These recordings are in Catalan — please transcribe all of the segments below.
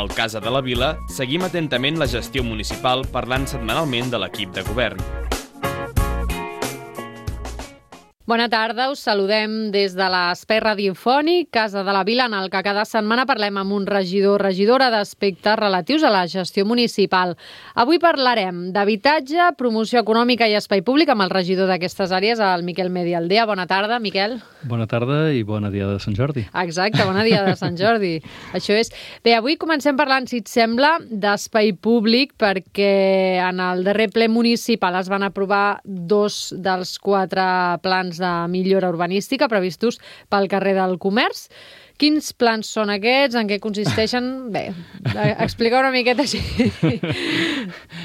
Al Casa de la Vila seguim atentament la gestió municipal parlant setmanalment de l'equip de govern. Bona tarda, us saludem des de l'espai radiofònic Casa de la Vila, en el que cada setmana parlem amb un regidor o regidora d'aspectes relatius a la gestió municipal. Avui parlarem d'habitatge, promoció econòmica i espai públic amb el regidor d'aquestes àrees, el Miquel Medialdea. Bona tarda, Miquel. Bona tarda i bona dia de Sant Jordi. Exacte, bona dia de Sant Jordi. Això és. Bé, avui comencem parlant, si et sembla, d'espai públic, perquè en el darrer ple municipal es van aprovar 2 dels 4 plans de millora urbanística previstos pel carrer del Comerç. Quins plans són aquests? En què consisteixen? Bé, explica una miqueta així,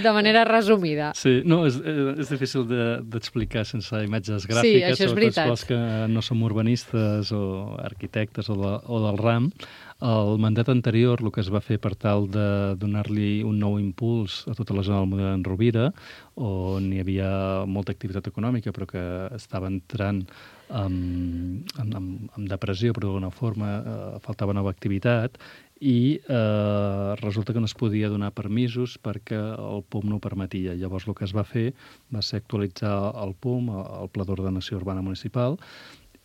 de manera resumida. Sí, no, és difícil d'explicar sense imatges gràfiques. Sí, això és veritat. Sobretot els que no som urbanistes o arquitectes o del RAM. El mandat anterior, el que es va fer per tal de donar-li un nou impuls a tota la zona del Model Rovira, on hi havia molta activitat econòmica però que estava entrant amb depressió, però d'alguna forma faltava nova activitat, i resulta que no es podia donar permisos perquè el PUM no ho permetia. Llavors el que es va fer va ser actualitzar el PUM, el Pla d'Ordenació Urbana Municipal,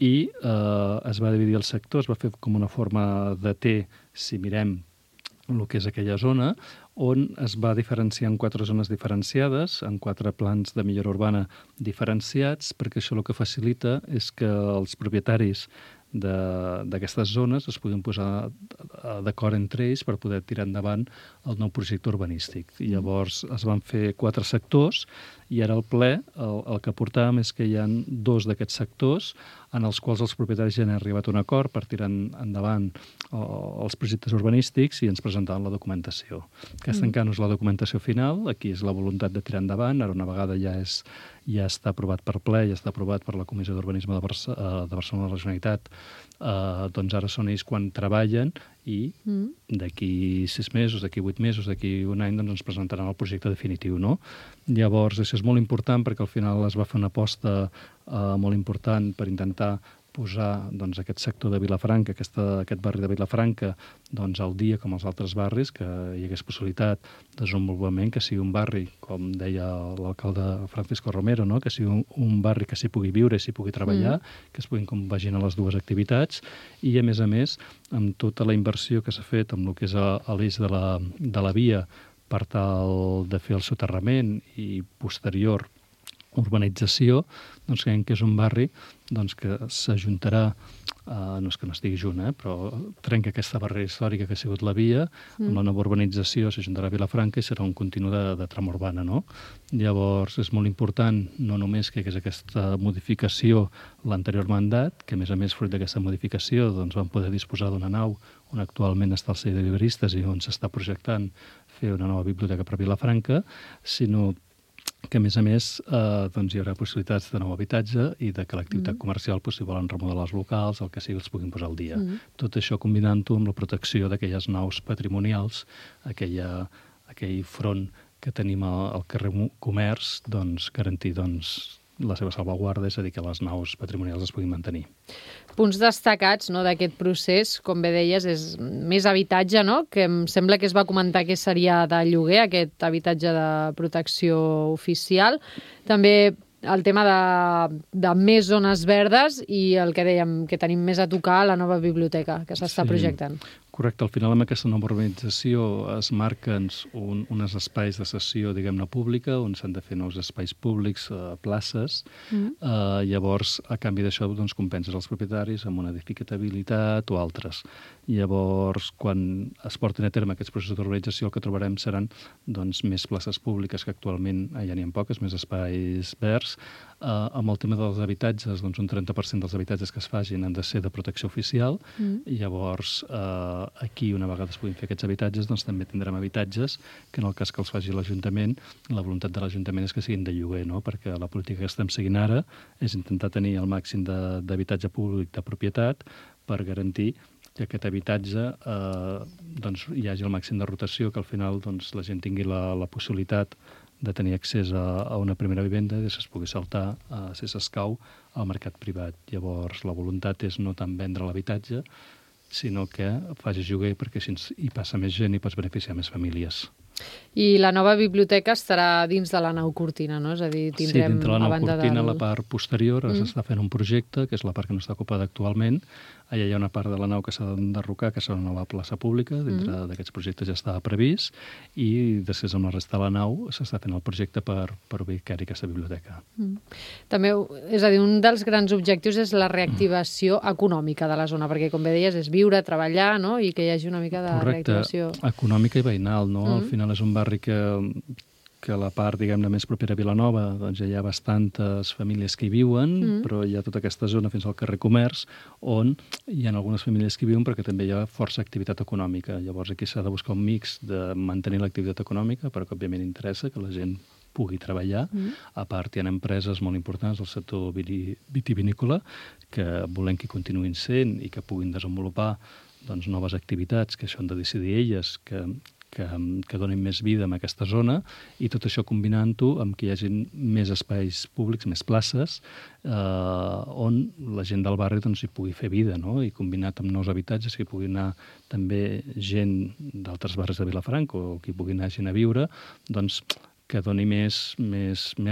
i es va dividir el sector, es va fer com una forma de T, si mirem el que és aquella zona, on es va diferenciar en 4 zones diferenciades, en 4 plans de millora urbana diferenciats, perquè això el que facilita és que els propietaris d'aquestes zones es puguin posar d'acord entre ells per poder tirar endavant el nou projecte urbanístic. I llavors es van fer 4 sectors i ara al ple el que portàvem és que hi ha 2 d'aquests sectors en els quals els propietaris ja han arribat a un acord per tirar endavant els projectes urbanístics i ens presentaven la documentació. Aquesta encara no és la documentació final, aquí és la voluntat de tirar endavant, ara una vegada ja està aprovat per ple, ja està aprovat per la Comissió d'Urbanisme de Barcelona de la Generalitat, doncs ara són ells quan treballen i d'aquí 6 mesos, d'aquí 8 mesos, d'aquí un any, doncs ens presentaran el projecte definitiu, no? Llavors, això és molt important perquè al final es va fer una aposta molt important per intentar posar doncs, aquest sector de Vilafranca, aquest barri de Vilafranca, doncs, al dia com els altres barris, que hi hagués possibilitat de desenvolupament, que sigui un barri, com deia l'alcalde Francisco Romero, no? Que sigui un barri que s'hi pugui viure i s'hi pugui treballar, que es puguin compaginar les dues activitats, i a més, amb tota la inversió que s'ha fet amb el que és a l'eix de la via per tal de fer el soterrament i posterior urbanització, doncs creiem que és un barri doncs, que s'ajuntarà, no és que no estigui junt, però trenca aquesta barrera històrica que ha sigut la via, amb la nova urbanització s'ajuntarà a Vilafranca i serà un continu de trama urbana, no? Llavors és molt important no només que hi hagués aquesta modificació l'anterior mandat, que a més fruit d'aquesta modificació doncs, vam poder disposar d'una nau on actualment està el Celler de Libreristes i on s'està projectant fer una nova biblioteca per Vilafranca, sinó que, a més, doncs, hi haurà possibilitats de nou habitatge i de que l'activitat comercial, si volen remodelar els locals, el que sigui, els puguin posar al dia. Tot això combinant-ho amb la protecció d'aquelles naus patrimonials, aquell front que tenim al carrer Comerç, doncs, garantir la seva salvaguarda, és a dir, que les naus patrimonials es puguin mantenir. Punts destacats d'aquest procés, com bé deies, és més habitatge, no? Que em sembla que es va comentar que seria de lloguer, aquest habitatge de protecció oficial. També el tema de més zones verdes i el que dèiem, que tenim més a tocar, la nova biblioteca que s'està projectant. Correcte, al final amb aquesta nova urbanització es marquen uns espais de sessió, diguem-ne, pública, on s'han de fer nous espais públics, places. Llavors, a canvi d'això, doncs, compenses els propietaris amb una edificabilitat o altres. Llavors, quan es portin a terme aquests processos d'urbanització, el que trobarem seran doncs, més places públiques, que actualment ja n'hi ha poques, més espais verds. Amb el tema dels habitatges, doncs un 30% dels habitatges que es facin han de ser de protecció oficial. I llavors, aquí, una vegada es puguin fer aquests habitatges, doncs també tindrem habitatges que en el cas que els faci l'Ajuntament, la voluntat de l'Ajuntament és que siguin de lloguer, no? Perquè la política que estem seguint ara és intentar tenir el màxim d'habitatge públic de propietat per garantir que aquest habitatge doncs, hi hagi el màxim de rotació, que al final doncs, la gent tingui la possibilitat de tenir accés a una primera vivenda i es pugui saltar, si s'escau, al mercat privat. Llavors, la voluntat és no tant vendre l'habitatge, sinó que facis lloguer perquè així hi passa més gent i pots beneficiar més famílies. I la nova biblioteca estarà dins de la nau Cortina, no? És a dir, tindrem... Sí, dintre la nau Cortina, la part posterior, s'està fent un projecte, que és la part que no està ocupada actualment. Allà hi ha una part de la nau que s'ha d'enderrocar, que serà una nova plaça pública, dintre d'aquests projectes ja estava previst, i després amb la resta de la nau s'està fent el projecte per ubicar-hi aquesta biblioteca. També, és a dir, un dels grans objectius és la reactivació econòmica de la zona, perquè, com bé deies, és viure, treballar, no?, i que hi hagi una mica de reactivació. Correcte, econòmica i veïnal, no? Al final és un barri que la part, diguem-ne, més propera a Vilanova, doncs ja hi ha bastantes famílies que hi viuen, però hi ha tota aquesta zona fins al carrer Comerç, on hi ha algunes famílies que hi viuen perquè també hi ha força activitat econòmica. Llavors aquí s'ha de buscar un mix de mantenir l'activitat econòmica, però que òbviament interessa que la gent pugui treballar. A part, hi ha empreses molt importants del sector vitivinícola que volem que continuïn sent i que puguin desenvolupar doncs, noves activitats, que això han de decidir elles, que donin més vida en aquesta zona, i tot això combinant-ho amb que hi hagi més espais públics, més places, on la gent del barri doncs, hi pugui fer vida, no? I combinat amb nous habitatges, que hi pugui anar també gent d'altres barris de Vilafranca o que hi pugui anar gent a viure, doncs que doni més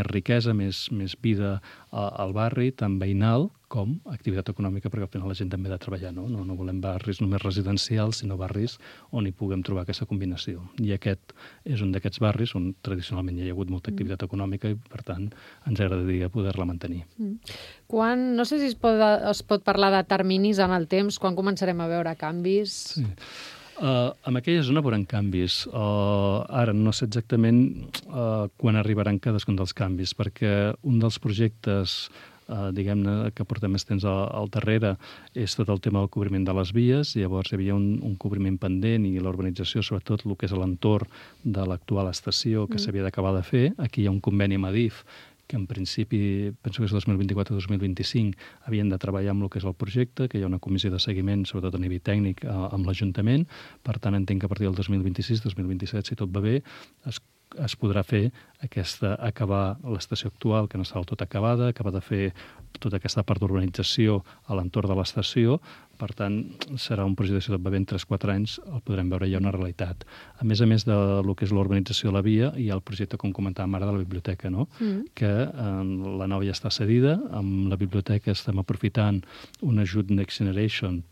riquesa, més vida al barri, tant veïnal com activitat econòmica, perquè al final la gent també ha de treballar, no? No volem barris només residencials, sinó barris on hi puguem trobar aquesta combinació. I aquest és un d'aquests barris on tradicionalment hi ha hagut molta activitat econòmica i, per tant, ens agradaria poder-la mantenir. No sé si es pot parlar de terminis en el temps, quan començarem a veure canvis? Sí. En aquella zona veurem canvis. Ara no sé exactament quan arribaran cadascun dels canvis, perquè un dels projectes diguem-ne, que portem més temps al darrere, és tot el tema del cobriment de les vies. Llavors hi havia un cobriment pendent i l'urbanització, sobretot el que és l'entorn de l'actual estació, que s'havia d'acabar de fer. Aquí hi ha un conveni amb Adif, que en principi, penso que és 2024-2025, havien de treballar amb el que és el projecte, que hi ha una comissió de seguiment, sobretot a nivell tècnic, amb l'Ajuntament. Per tant, entenc que a partir del 2026-2027, si tot va bé, es podrà fer acabar l'estació actual, que no està del tot acabada, acabar de fer tota aquesta part d'urbanització a l'entorn de l'estació. Per tant, serà un projecte, si tot va bé, en 3-4 anys el podrem veure ja una realitat. A més del que és l'urbanització de la via, hi ha el projecte, com comentàvem ara, de la biblioteca, no? Que la nau ja està cedida. Amb la biblioteca estem aprofitant un ajut Next Generation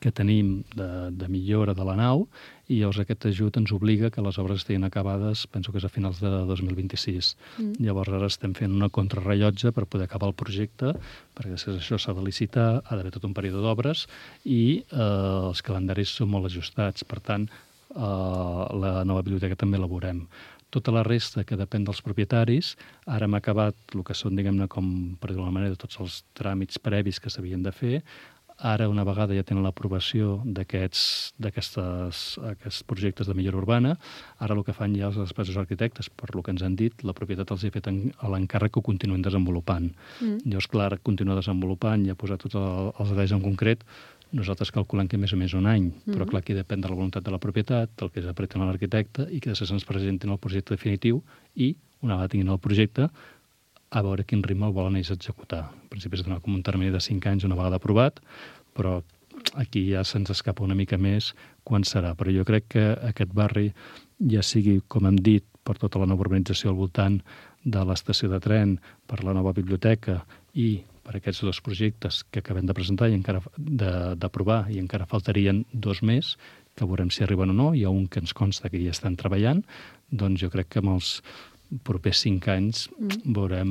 que tenim de millora de la nau, i llavors aquest ajut ens obliga que les obres estiguin acabades, penso que és a finals de 2026. Llavors ara estem fent una contrarrellotge per poder acabar el projecte, perquè després això s'ha de licitar, ha d'haver tot un període d'obres, i els calendaris són molt ajustats. Per tant, la nova biblioteca també la veurem. Tota la resta, que depèn dels propietaris, ara hem acabat el que són, diguem-ne, com per dir-ho d'una manera, tots els tràmits previs que s'havien de fer. Ara, una vegada ja tenen l'aprovació d'aquests projectes de millora urbana, ara el que fan ja els despatxos arquitectes, per el que ens han dit, la propietat els ha fet a l'encàrrec que ho continuïn desenvolupant. Llavors, clar, continua desenvolupant i ha posat tots els detalls en concret. Nosaltres calculem que més o menys un any, però clar, aquí depèn de la voluntat de la propietat, del que s'apreten a l'arquitecte, i que després ens presentin el projecte definitiu i, una vegada tinguin el projecte, a veure quin ritme el volen ells executar. En principi és donar com un termini de 5 anys una vegada aprovat, però aquí ja se'ns escapa una mica més quan serà. Però jo crec que aquest barri, ja sigui, com hem dit, per tota la nova urbanització al voltant de l'estació de tren, per la nova biblioteca i per aquests dos projectes que acabem de presentar i encara d'aprovar, i encara faltarien 2 més, que veurem si arriben o no. Hi ha un que ens consta que hi estan treballant, doncs jo crec que en els propers 5 anys veurem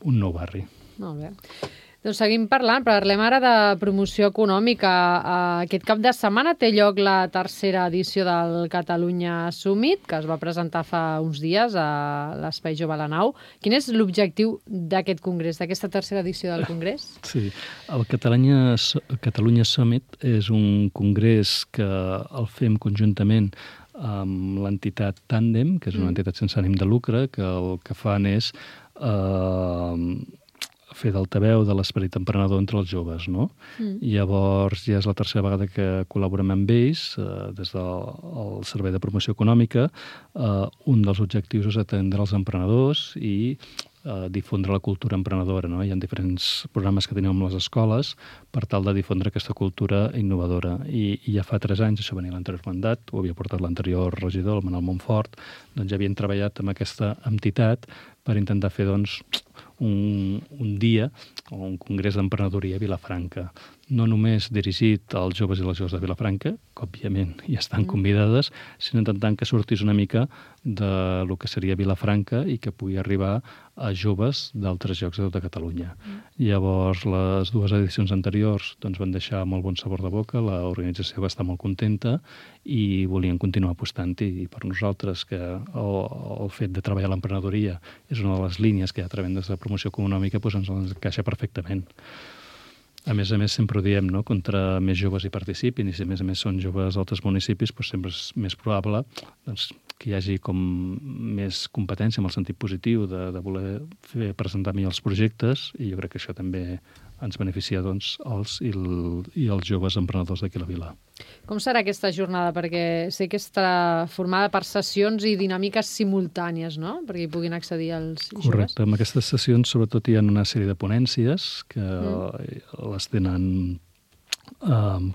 un nou barri. Molt bé. Doncs seguim parlant. Parlem ara de promoció econòmica. Aquest cap de setmana té lloc la 3a edició del Catalunya Summit, que es va presentar fa uns dies a l'Espai Jove a la Nau. Quin és l'objectiu d'aquest congrés, d'aquesta 3a edició del congrés? Sí, el Catalunya Summit és un congrés que el fem conjuntament amb l'entitat Tàndem, que és una entitat sense ànim de lucre, que el que fan és fer d'altaveu de l'esperit emprenedor entre els joves, no? Llavors, ja és la 3a vegada que col·laborem amb ells, des del Servei de Promoció Econòmica. Un dels objectius és atendre els emprenedors i difondre la cultura emprenedora, no? Hi ha diferents programes que tenim amb les escoles per tal de difondre aquesta cultura innovadora. I ja fa 3 anys, això venia l'anterior mandat, ho havia portat l'anterior regidor, el Manel Montfort, doncs ja havien treballat amb aquesta entitat per intentar fer doncs, un dia o un congrés d'emprenedoria a Vilafranca. No només dirigit als joves i les joves de Vilafranca, que òbviament hi estan convidades, sinó intentant que sortís una mica de lo que seria Vilafranca i que pugui arribar a joves d'altres llocs de tota Catalunya. Llavors, les 2 edicions anteriors doncs, van deixar molt bon sabor de boca, l'organització va estar molt contenta i volien continuar apostant-hi. I per nosaltres, que el fet de treballar a l'emprenedoria és una de les línies que hi ha a través de promoció econòmica, doncs ens encaixa perfectament. A més, sempre ho diem, no? Contra més joves hi participin, i si a més són joves d'altres municipis, doncs sempre és més probable doncs, que hi hagi com més competència en el sentit positiu de voler presentar millor els projectes, i jo crec que això també ens beneficia doncs, els joves emprenedors d'aquí a la vila. Com serà aquesta jornada? Perquè sé que estarà formada per sessions i dinàmiques simultànies, no? Perquè hi puguin accedir els joves. Correcte. En aquestes sessions, sobretot, hi ha una sèrie de ponències que les tenen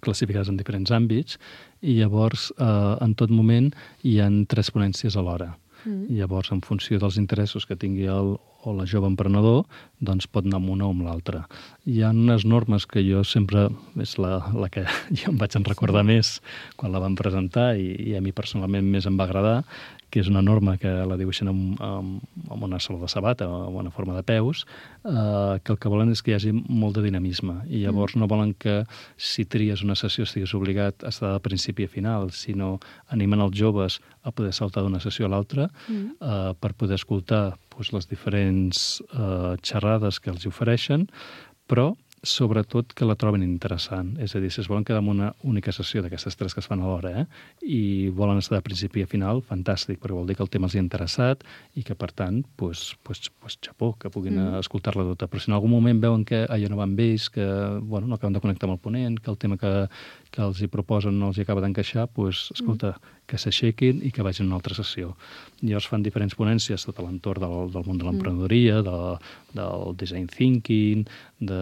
classificades en diferents àmbits, i llavors, en tot moment, hi ha 3 ponències alhora. Llavors, en funció dels interessos que tingui o la jove emprenedor, doncs pot anar amb una o amb l'altra. Hi ha unes normes que jo sempre, és la que jo em vaig en recordar més quan la vam presentar i a mi personalment més em va agradar, que és una norma que la dibuixen amb una sola de sabata o amb una forma de peus, que el que volen és que hi hagi molt de dinamisme, i llavors no volen que si tries una sessió estiguis obligat a estar de principi a final, sinó animen els joves a poder saltar d'una sessió a l'altra per poder escoltar les diferents xerrades que els ofereixen, però sobretot que la troben interessant. És a dir, si es volen quedar amb una única sessió d'aquestes 3 que es fan alhora i volen estar de principi a final, fantàstic, perquè vol dir que el tema els ha interessat i que, per tant, xapó, que puguin escoltar-la tota. Però si en algun moment veuen que allò no va amb ells, que no acaben de connectar amb el ponent, que el tema que els hi proposen no els hi acaba d'encaixar, doncs, escolta, que s'aixequin i que vagin a una altra sessió. Llavors fan diferents ponències tot a l'entorn del món de l'emprenedoria, del design thinking, de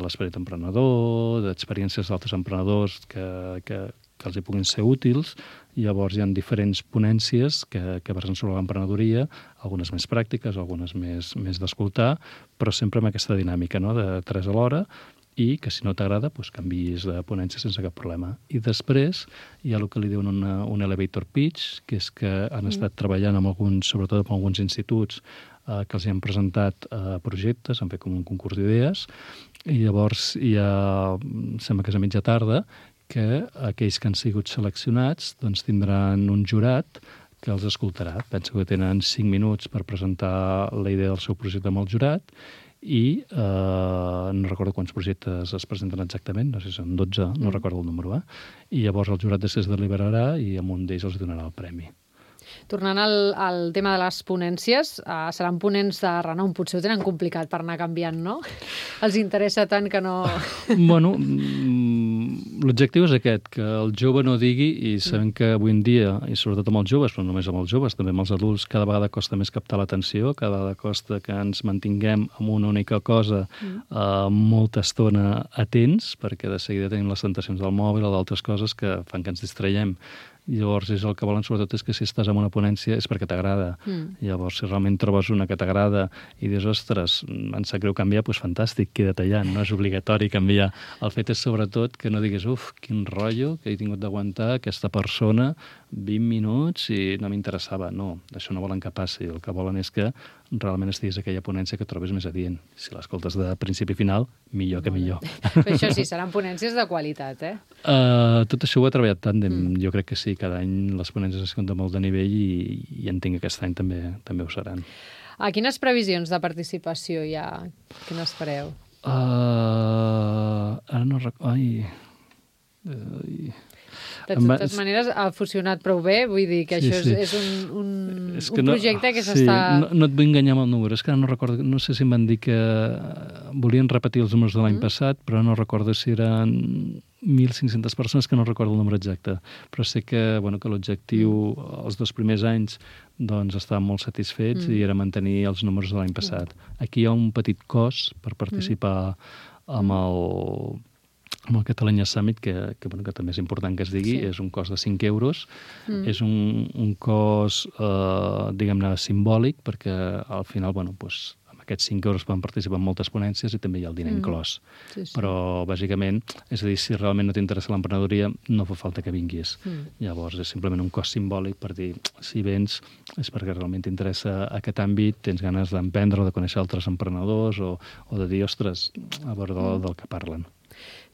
l'esperit emprenedor, d'experiències d'altres emprenedors que els hi puguin ser útils. Llavors hi ha diferents ponències que versen sobre l'emprenedoria, algunes més pràctiques, algunes més d'escoltar, però sempre amb aquesta dinàmica, no?, de 3 a l'hora, i que si no t'agrada, doncs canviïs de ponència sense cap problema. I després hi ha el que li diuen un elevator pitch, que és que han estat treballant sobretot amb alguns instituts que els hi han presentat projectes, han fet com un concurs d'idees, i llavors hi ha, sembla que és a mitja tarda, que aquells que han sigut seleccionats doncs tindran un jurat que els escoltarà. Penso que tenen 5 minuts per presentar la idea del seu projecte amb el jurat, i no recordo quants projectes es presenten exactament, no sé si són 12, no recordo el número, i llavors el jurat després deliberarà i amb un d'ells els donarà el premi. Tornant al tema de les ponències, seran ponents de renom, potser ho tenen complicat per anar canviant, no? Els interessa tant que no... Bueno, l'objectiu és aquest, que el jove no digui, i sabem que avui en dia, i sobretot amb els joves, però no només amb els joves, també amb els adults, cada vegada costa més captar l'atenció, cada vegada costa que ens mantinguem amb una única cosa molta estona atents, perquè de seguida tenim les tentacions del mòbil o d'altres coses que fan que ens distraiem. Llavors, el que volen sobretot és que si estàs en una ponència és perquè t'agrada. Llavors, si realment trobes una que t'agrada i dius, ostres, em sap greu canviar, doncs fantàstic, queda't allà, no és obligatori canviar. El fet és sobretot que no diguis, quin rotllo que he tingut d'aguantar aquesta persona 20 minuts i no m'interessava. No, això no volen que passi. El que volen és que realment estiguis a aquella ponència que trobes més adient. Si l'escoltes de principi a final, millor que millor. Però això sí, seran ponències de qualitat, Tot això ho he treballat tàndem. Jo crec que sí, cada any les ponències es compten molt de nivell i entenc que aquest any també ho seran. Quines previsions de participació hi ha? Quines fareu? Ara no recordo... De totes maneres, ha funcionat prou bé, vull dir que això és un projecte que s'està... No et vull enganyar amb el número, és que ara no recordo, no sé si em van dir que volien repetir els números de l'any passat, però no recordo si eren 1.500 persones, que no recordo el número exacte, però sé que, que l'objectiu els 2 primers anys doncs estaven molt satisfets i era mantenir els números de l'any passat. Aquí hi ha un petit cost per participar amb el Catalunya Summit, que també és important que es digui, és un cost de 5 euros. És un cost, diguem-ne, simbòlic, perquè al final, amb aquests 5 euros poden participar en moltes ponències i també hi ha el diner inclòs. Però, bàsicament, és a dir, si realment no t'interessa l'emprenedoria, no fa falta que vinguis. Llavors, és simplement un cost simbòlic per dir, si vens, és perquè realment t'interessa aquest àmbit, tens ganes d'emprendre o de conèixer altres emprenedors o de dir, ostres, a veure del que parlen.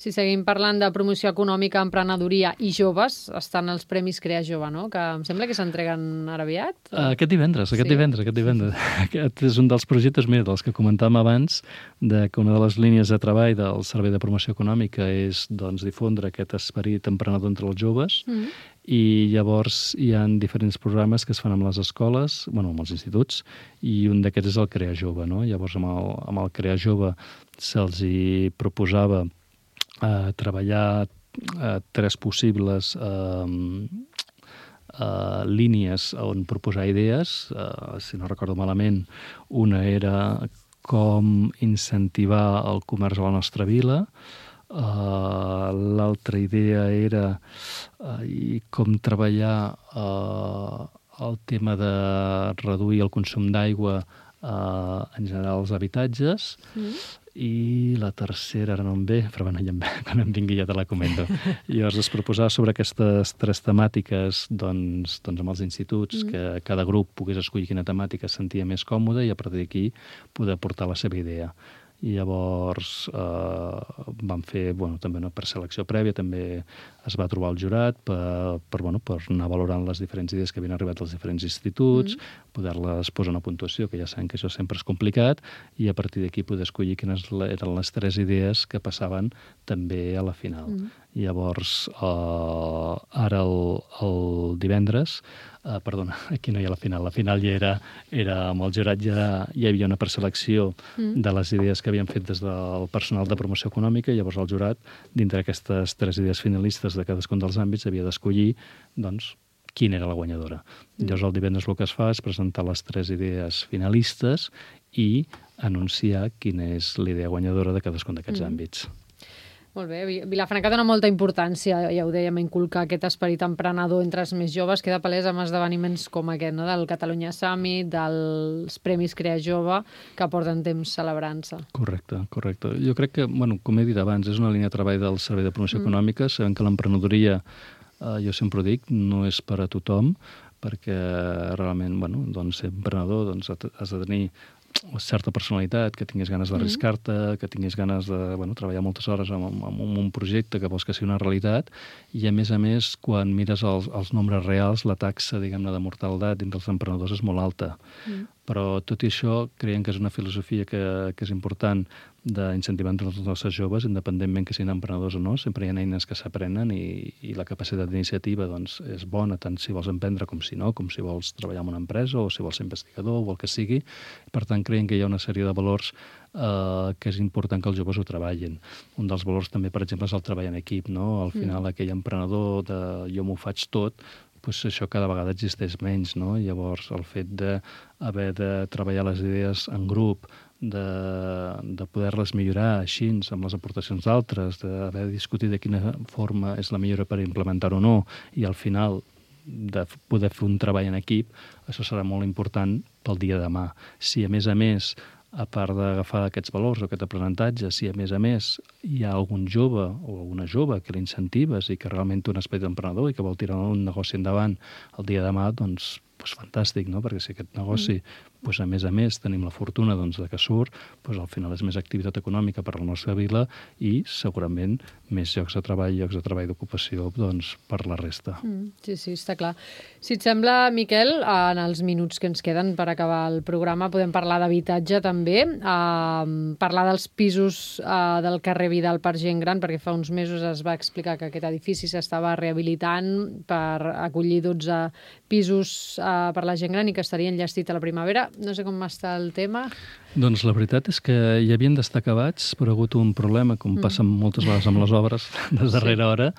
Si seguim parlant de promoció econòmica, emprenedoria i joves, estan els Premis Crea Jove, no? Que em sembla que s'entreguen ara aviat. Aquest divendres. Aquest és un dels projectes, dels que comentàvem abans, que una de les línies de treball del Servei de Promoció Econòmica és difondre aquest esperit emprenedor entre els joves, i llavors hi ha diferents programes que es fan amb les escoles, amb els instituts, i un d'aquests és el Crea Jove, no? Llavors amb el Crea Jove se'ls hi proposava treballar 3 possibles línies on proposar idees. Si no recordo malament, una era com incentivar el comerç a la nostra vila, l'altra idea era com treballar el tema de reduir el consum d'aigua en general als habitatges, i la tercera ara no em ve, però quan em vingui ja te la comento. Llavors es proposava sobre aquestes 3 temàtiques doncs amb els instituts, que cada grup pogués escollir quina temàtica es sentia més còmode i a partir d'aquí poder portar la seva idea. I llavors vam fer, també per selecció prèvia, també es va trobar el jurat per anar valorant les diferents idees que havien arribat als diferents instituts, poder-les posar una puntuació, que ja sabem que això sempre és complicat, i a partir d'aquí poder escollir quines eren les 3 idees que passaven també a la final. Llavors, ara el divendres, aquí no hi ha la final ja era amb el jurat, ja hi havia una preselecció de les idees que havien fet des del personal de promoció econòmica, i llavors el jurat, dintre d'aquestes 3 idees finalistes de cadascun dels àmbits, havia d'escollir, quina era la guanyadora. Llavors el divendres el que es fa és presentar les 3 idees finalistes i anunciar quina és la idea guanyadora de cadascun d'aquests àmbits. Molt bé. Vilafranca dona molta importància, ja ho dèiem, a inculcar aquest esperit emprenedor entre els més joves. Queda palès amb esdeveniments com aquest, no? Del Catalunya Summit, dels Premis Crea Jove, que porten temps celebrant-se. Correcte. Jo crec que, com he dit abans, és una línia de treball del Servei de Promoció Econòmica. Sabem que l'emprenedoria, jo sempre ho dic, no és per a tothom, perquè realment, ser emprenedor has de tenir certa personalitat, que tinguis ganes d'arriscar-te, que tinguis ganes de treballar moltes hores en un projecte que vols que sigui una realitat, i a més, quan mires els nombres reals, la taxa, diguem-ne, de mortalitat entre els emprenedors és molt alta. Però tot i això, creiem que és una filosofia que és important d'incentivar entre els nostres joves, independentment que siguin emprenedors o no. Sempre hi ha eines que s'aprenen i la capacitat d'iniciativa és bona, tant si vols emprendre com si no, com si vols treballar en una empresa o si vols ser investigador o el que sigui. Per tant, creiem que hi ha una sèrie de valors que és important que els joves ho treballin. Un dels valors també, per exemple, és el treball en equip, no? Al final, aquell emprenedor de jo m'ho faig tot, això cada vegada existeix menys, no? Llavors, el fet d'haver de treballar les idees en grup, de poder-les millorar així, amb les aportacions d'altres, d'haver de discutir de quina forma és la millora per implementar o no, i al final de poder fer un treball en equip, això serà molt important pel dia de demà. Si, a més, a part d'agafar aquests valors o aquest aprenentatge, si a més hi ha algun jove o alguna jove que l'incentives i que realment té un esperit emprenedor i que vol tirar un negoci endavant el dia de demà, doncs doncs fantàstic, no? Perquè si aquest negoci, doncs a més tenim la fortuna doncs, de que surt, doncs al final és més activitat econòmica per a la nostra vila i segurament més llocs de treball d'ocupació doncs, per la resta. Sí, està clar. Si et sembla, Miquel, en els minuts que ens queden per acabar el programa podem parlar d'habitatge també, parlar dels pisos del carrer Vidal per gent gran, perquè fa uns mesos es va explicar que aquest edifici s'estava rehabilitant per acollir 12 pisos per la gent gran i que estarien enllestit a la primavera. No sé com està el tema. Doncs la veritat és que hi havien d'estar acabats, però ha hagut un problema, com passa moltes vegades amb les obres, de darrera hora,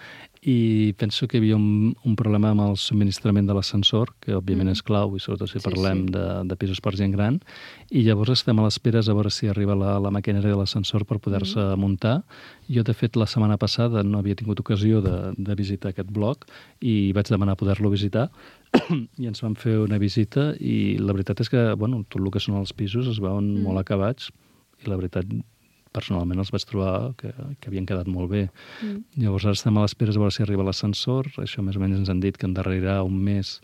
i penso que hi havia un problema amb el subministrament de l'ascensor, que òbviament és clau, i sobretot si parlem de pisos per gent gran, i llavors estem a l'espera a veure si arriba la maquinària de l'ascensor per poder-se muntar. Jo, de fet, la setmana passada no havia tingut ocasió de visitar aquest bloc i vaig demanar poder-lo visitar i ens vam fer una visita i la veritat és que, tot el que són els pisos es veuen molt acabats i la veritat, personalment els vaig trobar que havien quedat molt bé. Llavors ara estem a l'espera de veure si arriba l'ascensor. Això més o menys ens han dit que endarrerirà un mes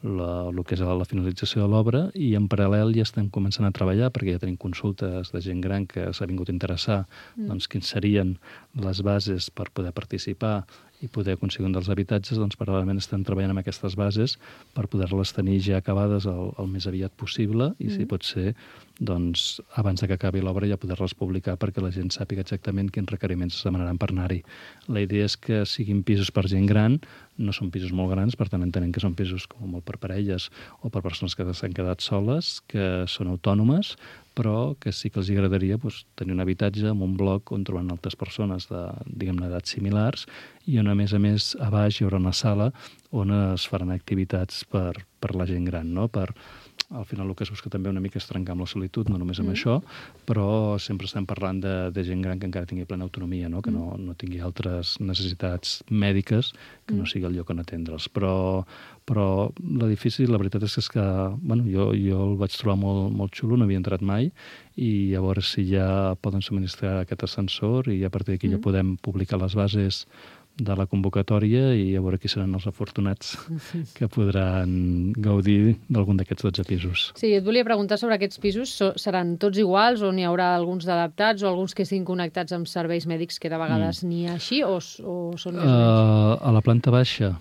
el que és la finalització de l'obra i en paral·lel ja estem començant a treballar perquè ja tenim consultes de gent gran que s'ha vingut a interessar doncs, quins serien les bases per poder participar i poder aconseguir un dels habitatges, doncs paral·lelament estem treballant amb aquestes bases per poder-les tenir ja acabades el més aviat possible i si pot ser doncs, abans que acabi l'obra ja poder-les publicar perquè la gent sàpiga exactament quins requeriments es demanaran per anar-hi. La idea és que siguin pisos per gent gran, no són pisos molt grans, per tant entenem que són pisos com molt per parelles o per persones que s'han quedat soles, que són autònomes, però que sí que els agradaria tenir un habitatge amb un bloc on troben altres persones d'edats similars i on, a més, a baix hi haurà una sala on es faran activitats per la gent gran, no? Al final el que es busca també una mica és trencar amb la solitud, no només amb això, però sempre estem parlant de gent gran que encara tingui plena autonomia, no? Que no tingui altres necessitats mèdiques que no sigui el lloc on atendre'ls. Però l'edifici, la veritat és que jo el vaig trobar molt xulo, no havia entrat mai, i a veure si ja poden subministrar aquest ascensor i a partir d'aquí ja podem publicar les bases de la convocatòria i a veure qui seran els afortunats que podran gaudir d'algun d'aquests 12 pisos. Sí, et volia preguntar sobre aquests pisos. Seran tots iguals o n'hi haurà alguns d'adaptats o alguns que estiguin connectats amb serveis mèdics que de vegades n'hi ha així o són més o menys? A la planta baixa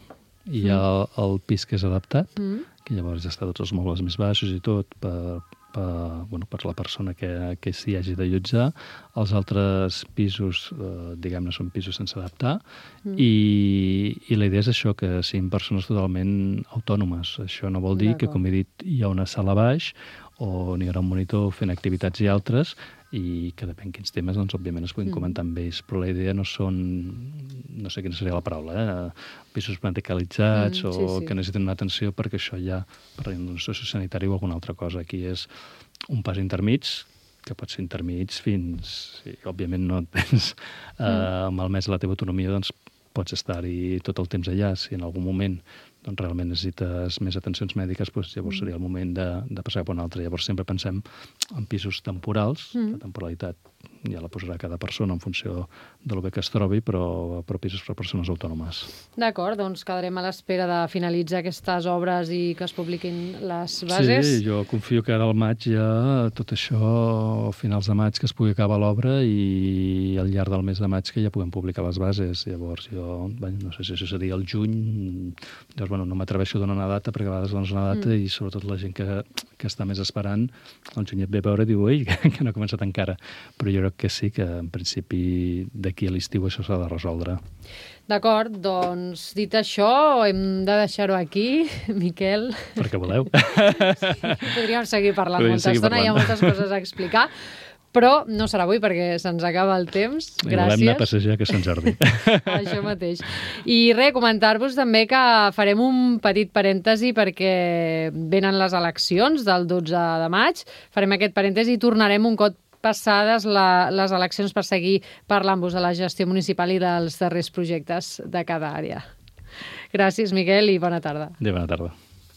hi ha el pis que és adaptat, que llavors ja està tots els mobles més baixos i tot per la persona que s'hi hagi d'allotjar. Els altres pisos, diguem-ne, són pisos sense adaptar i la idea és això, que siguin persones totalment autònomes. Això no vol dir que, com he dit, hi ha una sala a baix on hi haurà un monitor fent activitats i altres i que depèn quins temes, doncs, òbviament es puguin comentar amb ells, però la idea no són, no sé quina seria la paraula, pisos medicalitzats o que necessiten una atenció perquè això ja, per un sociosanitari o alguna altra cosa. Aquí és un pas intermig, que pot ser intermig fins, si òbviament no tens malmès la teva autonomia, doncs pots estar-hi tot el temps allà. Si en algun moment doncs realment necessites més atencions mèdiques, doncs llavors seria el moment de passar cap a un altre. Llavors sempre pensem en pisos temporals, la temporalitat ja la posarà cada persona en funció de lo bé que es trobi, però pisos per persones autònomes. D'acord, doncs quedarem a l'espera de finalitzar aquestes obres i que es publiquin les bases. Sí, jo confio que ara al maig ja tot això, a finals de maig, que es pugui acabar l'obra i al llarg del mes de maig que ja puguem publicar les bases. Llavors jo, no sé si això seria el juny, llavors no m'atreveixo a donar una data perquè a vegades dones una data i sobretot la gent que està més esperant, el juny et ve a veure i diu, ui, que no ha començat encara. Però jo crec que sí, que en principi d'aquí a l'estiu això s'ha de resoldre. D'acord, doncs dit això, hem de deixar-ho aquí, Miquel. Perquè voleu. Sí, podríem seguir parlant molta estona, hi ha moltes coses a explicar, però no serà avui perquè se'ns acaba el temps. Gràcies. Volem anar a passejar que Sant Jordi. Això mateix. I comentar-vos també que farem un petit parèntesi perquè venen les eleccions del 12 de maig. Farem aquest parèntesi i tornarem un cop passades les eleccions per seguir parlant-vos de la gestió municipal i dels darrers projectes de cada àrea. Gràcies, Miquel, i bona tarda. Bona tarda.